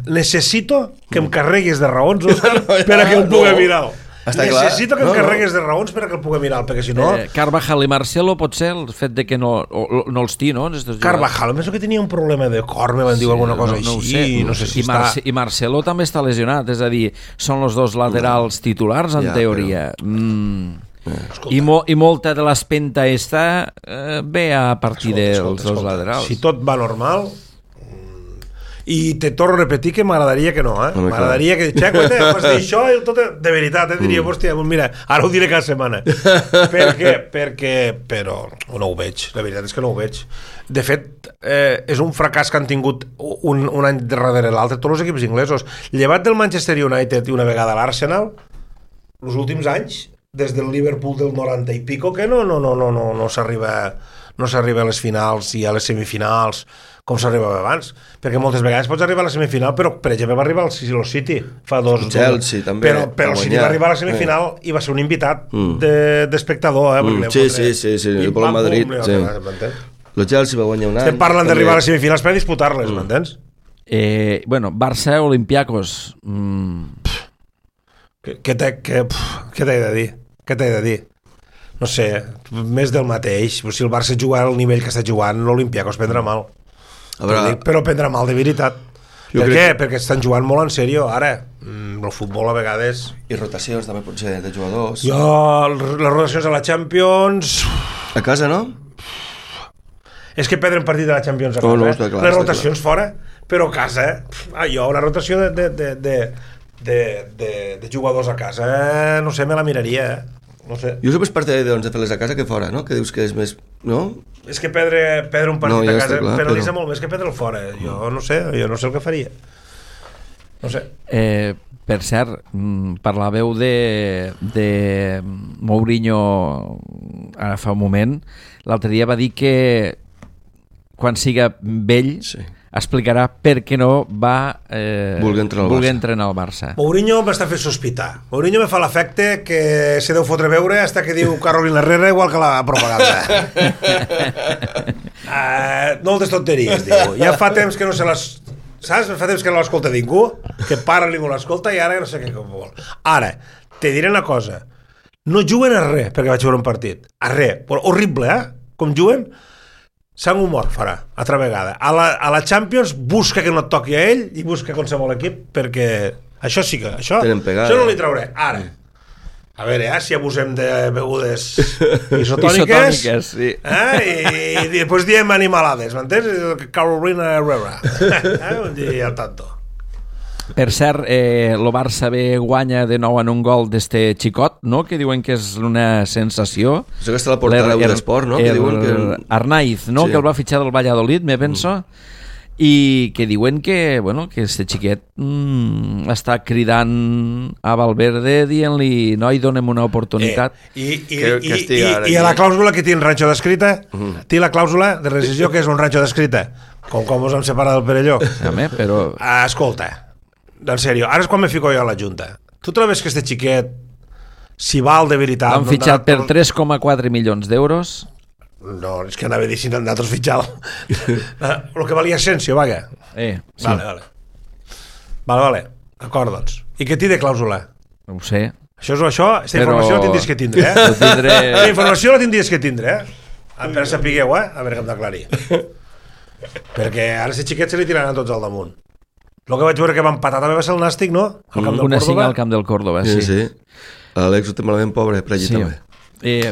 Necessito que em carreguis de raons, Òscar, per a que el pugui mirar. Necessito que em carreguis de raons per a que el pugui mirar, perquè si no... Carvajal i Marcelo pot ser el fet de que no els té, no? Carvajal, penso que tenia un problema de cor, me van dir alguna cosa així, no sé si està... I Marcelo també està lesionat, és a dir, són els dos laterals titulars, en teoria. I molta de l'espenta ve a partir dels dos laterals. Si tot va normal, i te torno a repetir que m'agradaria que no, m'agradaria que Checo, vas dir això i tot de veritat, diria, hòstia, mira, ara ho diré cada setmana. Però no ho veig, la veritat és que no ho veig. De fet, és un fracàs que han tingut un any darrere l'altre tots els equips inglesos, llevat del Manchester United i una vegada l'Arsenal, els últims anys, des del Liverpool del 90 i pico, que no s'arriba a les finals i a les semifinals com s'arribava abans, perquè moltes vegades pots arribar a la semifinal, però per exemple va arribar al City fa Chelsea també, però el City va arribar a la semifinal i va ser un invitat d'espectador, sí, el Pol Madrid, el Chelsea va guanyar un any. Estem parlant d'arribar a les semifinals per disputar-les, m'entens? Bueno, Barça, Olympiacos, què t'he de dir? No sé, més del mateix. Si el Barça jugar al nivell que està jugant, l'Olympiacos prendrà mal. Però prendrà mal de veritat. Per què? Perquè estan jugant molt en sèrio ara. El futbol a vegades... I rotacions també potser de jugadors. Les rotacions a la Champions... A casa, no? És que perdre un partit de la Champions a casa. Les rotacions fora, però a casa... una rotació de jugadors a casa, no sé, me la miraria, no sé. Jo soc més partidari de fer-les a casa que fora, no? Que dius que és més... no? És que perdre un partit a casa penalitza molt més que perdre'l fora. Jo no sé el que faria. No sé. Per cert, parlàveu de Mourinho ara fa un moment. L'altre dia va dir que quan siga vell explicarà per què no va voler entrenar al Barça. Mourinho m'està fent sospitar. Mourinho me fa l'efecte que se deu fotre veure hasta que diu Carolina Herrera igual que la propaganda. Moltes tonteries, diu. Ja fa temps que no se les... Saps? Fa temps que no l'escolta ningú, que para ningú l'escolta i ara no sé què vol. Ara, te diré una cosa. No juguen a res perquè vaig veure un partit. A res. Horrible, Com juguen? Sant humor farà, altra vegada. A la Champions busca que no et toqui a ell i busca qualsevol equip, perquè això sí que... Això no li trauré. Ara, a veure, si abusem de begudes isotòniques, sí. I després diem animalades, m'entens? Carolina Herrera. Un dia al tanto. Per cert, el Barça guanya de nou en un gol d'este xicot, no? Que diuen que és una sensació. Això que està a la portera d'Esport, no? Que diuen que... Arnaiz, no? Sí. Que el va fitxar del Valladolid, me penso. I que diuen que, bueno, que este xiquet està cridant a Valverde dient-li, noi, donem una oportunitat. I a la clàusula que té un ranxo d'escrita, té la clàusula de rescisió que és un ranxo d'escrita, com ens hem separat del Perelló. Però... Escolta, en sèrio, ara és quan me fico jo a la Junta. Tu te la ves que este xiquet, si val de veritat... L'han fitxat per 3,4 milions d'euros. No, és que anava a dir si nosaltres fitxal. El que valia Asensio, vaga. Sí. Vale. D'acord, doncs. I què té de clàusula? No ho sé. Aquesta informació la tindries que tindre, La informació la tindries que tindre, Per sapigueu, a veure que hem d'aclarir. Perquè ara aquest xiquet se li tiraran tots al damunt. El que vaig veure que va empatar també va ser el Nàstic, no? Al camp del Córdoba. Al camp del Córdoba, sí. L'Àlex ho té malament, pobre, per allí també.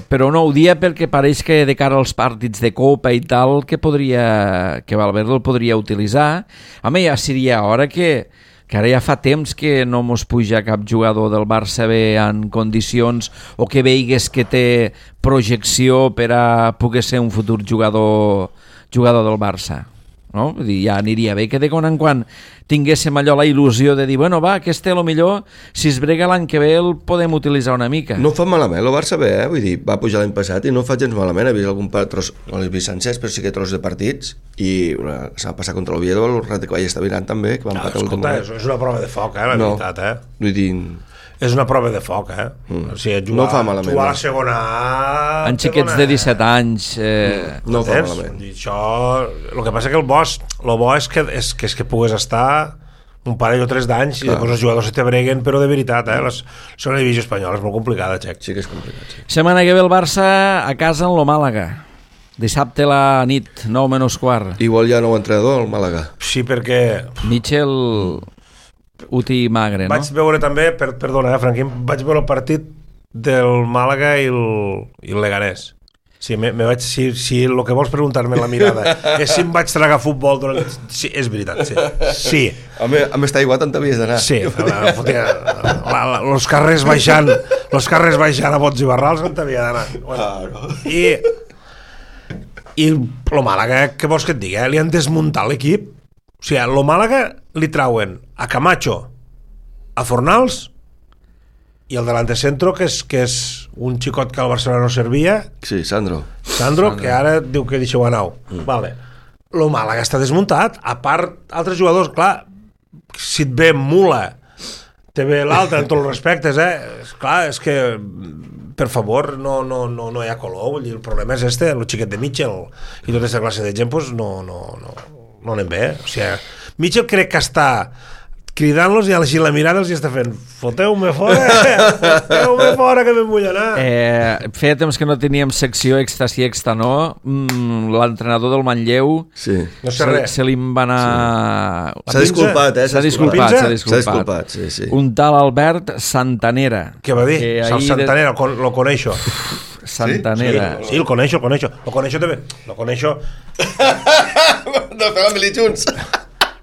Però no ho dia perquè pareix que de cara als partits de Copa i tal que Valverde el podria utilitzar. Home, ja seria hora que ara ja fa temps que no mos puja cap jugador del Barça bé en condicions o que veigues que té projecció per a poder ser un futur jugador del Barça. No? Vull dir, ja aniria bé que de quan en quan tinguéssim allò la il·lusió de dir, bueno, va, aquest té, millor si es brega l'any que ve el podem utilitzar una mica. No fa malament, el Barça bé, vull dir, va pujar l'any passat i no fa gens malament, he vist algun tros, no l'he vist sencers, però sí que tros de partits i s'ha passat contra l'Oviedo, el rato que vaig estar mirant també, que va empatar l'últim moment. És una prova de foc, la veritat, Vull dir... és una prova de foc, o sigui, jugar, no fa malament, jugar a la segona A... En xiquets de 17 anys... No fa malament. Això, el que passa que el bo és que pugues estar un parell o 3 d'anys i després els jugadors se t'abreguen, però de veritat, la segona divisió espanyola és molt complicada, Xec. Sí que és complicat, sí. Setmana que ve el Barça a casa en lo Màlaga. Dissabte a la nit, 9:15. Igual hi ha nou entrenador al Màlaga. Sí, perquè... Michel Uti Magre, no? Vaig veure també, perdona, Franquín, vaig veure el partit del Màlaga i el Leganés. Sí, si el que vols preguntar-me en la mirada és si em vaig tragar futbol durant... Sí, és veritat, sí. Amb estar igual tant t'havies d'anar. Sí, els carrers baixant a bots i barrals on t'havia d'anar. Bueno, i el Màlaga, què vols que et digui? Li han desmuntat l'equip. O sigui, el Màlaga li trauen a Camacho, a Fornals i el delantecentro, que és un xicot que al Barcelona no servia. Sí, Sandro, que ara diu que deixeu anar. Vale. Lo Màlaga està desmuntat. A part, altres jugadors, clar, si et ve Mula, te ve l'altre, amb tots els respectes, Clar, és que, per favor, no hi ha color. Vull dir, el problema és el xiquet de Mitchell. I tota aquesta classe de gent, doncs, no anem bé. O sigui, Mitchell crec que està cridant-los i així la mirada els està fent foteu-me fora que me'n vull anar. Feia temps que no teníem secció extra sí, extra no. L'entrenador del Manlleu no sé res. Se li va anar... S'ha disculpat, S'ha disculpat. Sí. Un tal Albert Santanera. Què va dir? Santanera, lo coneixo. Santanera. Sí, el coneixo. Lo coneixo també. Lo coneixo... De fer la mili junts.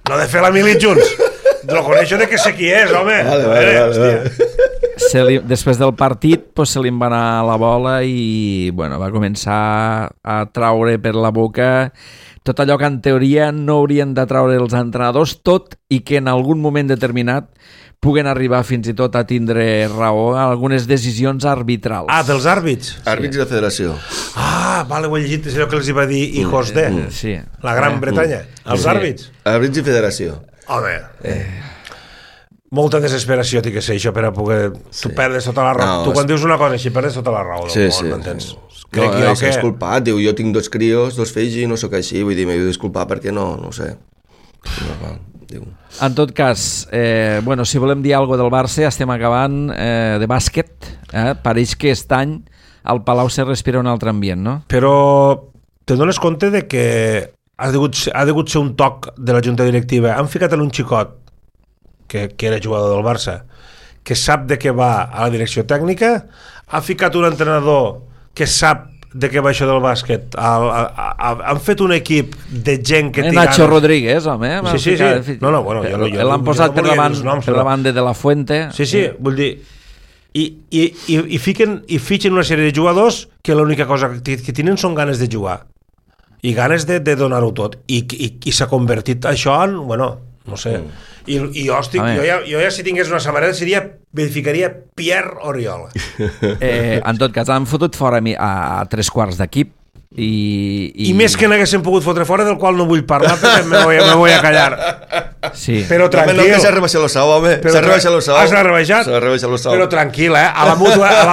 No de fer la mili junts. Lo coneixo de que sé qui és, home. Vale. Després del partit se li va anar la bola i va començar a traure per la boca tot allò que en teoria no haurien de traure els entrenadors, tot i que en algun moment determinat puguen arribar fins i tot a tindre raó a algunes decisions arbitrals. Dels àrbits? Àrbits de federació. Vale, ho he llegit, és allò que els va dir hijos de la Gran Bretanya. Els àrbits? Àrbits i federació. Home, molta desesperació té que ser això per a poder... Tu perdes tota la raó. Tu quan dius una cosa així perdes tota la raó del món, m'entens? Crec que és disculpat, diu, jo tinc 2 crios, 2 fills i no sóc així, vull dir, m'he de disculpar perquè no sé. En tot cas, si volem dir alguna cosa del Barça, estem acabant de bàsquet. Pareix que aquest any al Palau se respira un altre ambient, no? Però te dones compte de que ha degut ser un toc de la junta directiva. Han ficat en un xicot que era jugador del Barça, que sap de què va a la direcció tècnica, ha ficat un entrenador que sap de què va això del bàsquet. Han fet un equip de gent que... Nacho Rodríguez, home. Sí. L'han posat per davant de la Fuente. Sí, vull dir... I fitxen una sèrie de jugadors que l'única cosa que tenen són ganes de jugar i ganes de donar-ho tot i s'ha convertit això en, no sé, i jo ja si tingués una samarreta verificaria Pierre Oriol. En tot cas han fotut fora a 3/4 d'equip i més que n'haguessin pogut fotre fora, del qual no vull parlar perquè me voy a callar. Sí. Però tranquil. No, que s'ha rebaixat l'ossau, home. S'ha rebaixat l'ossau. S'ha rebaixat l'ossau. Però tranquil, a la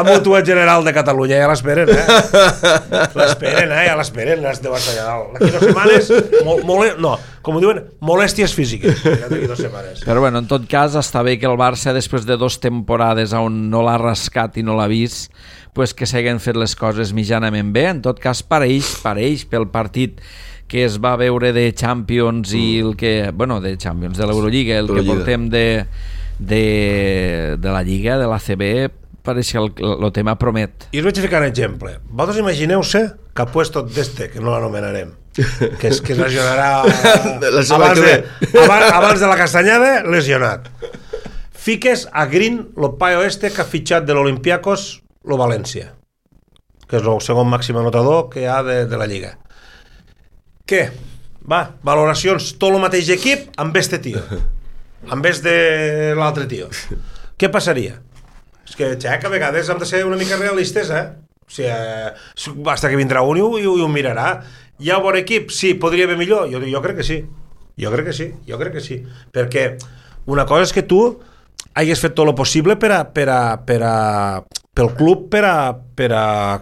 Mútua General de Catalunya ja l'esperen, ja l'esperen, de Barça allà dalt. D'aquí 2 setmanes, com ho diuen, molèsties físiques. D'aquí 2 setmanes. Però en tot cas està bé que el Barça, després de 2 temporades on no l'ha rascat i no l'ha vist, que s'hagin fet les coses mitjanament bé. En tot cas pareix pel partit que es va veure de Champions i el que... de Champions, de l'Eurolliga, el que portem de la Lliga, de l'ACB, pareix que el tema promet. I us vaig ficar un exemple. Vosaltres imagineu-se que ha puesto d'este, que no l'anomenarem, que es lesionarà abans de la castanyada, lesionat. Fiques a Green, el paio que ha fitxat de l'Olympiacos, lo València, que és el segon màxim anotador que hi ha de la Lliga. Què? Valoracions, tot el mateix equip amb este tio, en vez de l'altre tio. Què passaria? És que, a vegades hem de ser una mica realistes, O sigui, basta que vindrà un i ho mirarà. Hi ha un bon equip? Sí, podria haver millor? Jo crec que sí. Jo crec que sí. Perquè una cosa és que tu hagués fet tot el possible pel club per a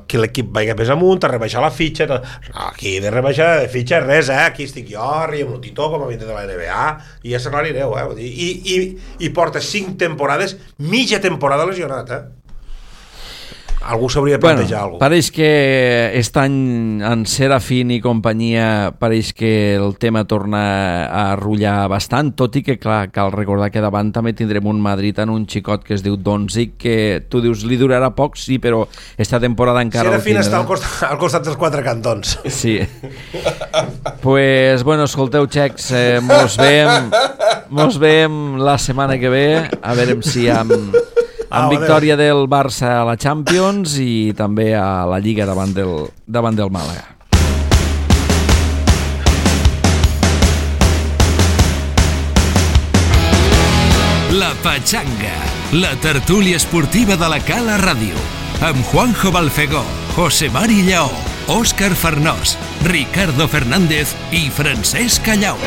que l'equip vagi més amunt, a rebaixar la fitxa. Aquí de rebaixar de fitxa res, aquí estic jo, riem el Tito com a vingut de la NBA i ja se n'anireu, i porta 5 temporades, mitja temporada lesionat, algú s'hauria de plantejar alguna cosa. Pareix que aquest any en Serafín i companyia pareix que el tema torna a arrullar bastant, tot i que clar, cal recordar que davant també tindrem un Madrid en un xicot que es diu Doncic, que tu dius li durarà poc, sí, però esta temporada encara Serafín està al costat dels 4 cantons. Sí. Pues bueno, escolteu, xecs, mos veiem la setmana que ve, a veure si amb victòria del Barça a la Champions i també a la Lliga davant del Màlaga. La Pachanga, la tertúlia esportiva de la Cala Ràdio, amb Juanjo Balfegó, José Mari Lleó, Òscar Farnós, Ricardo Fernández i Francesc Callau.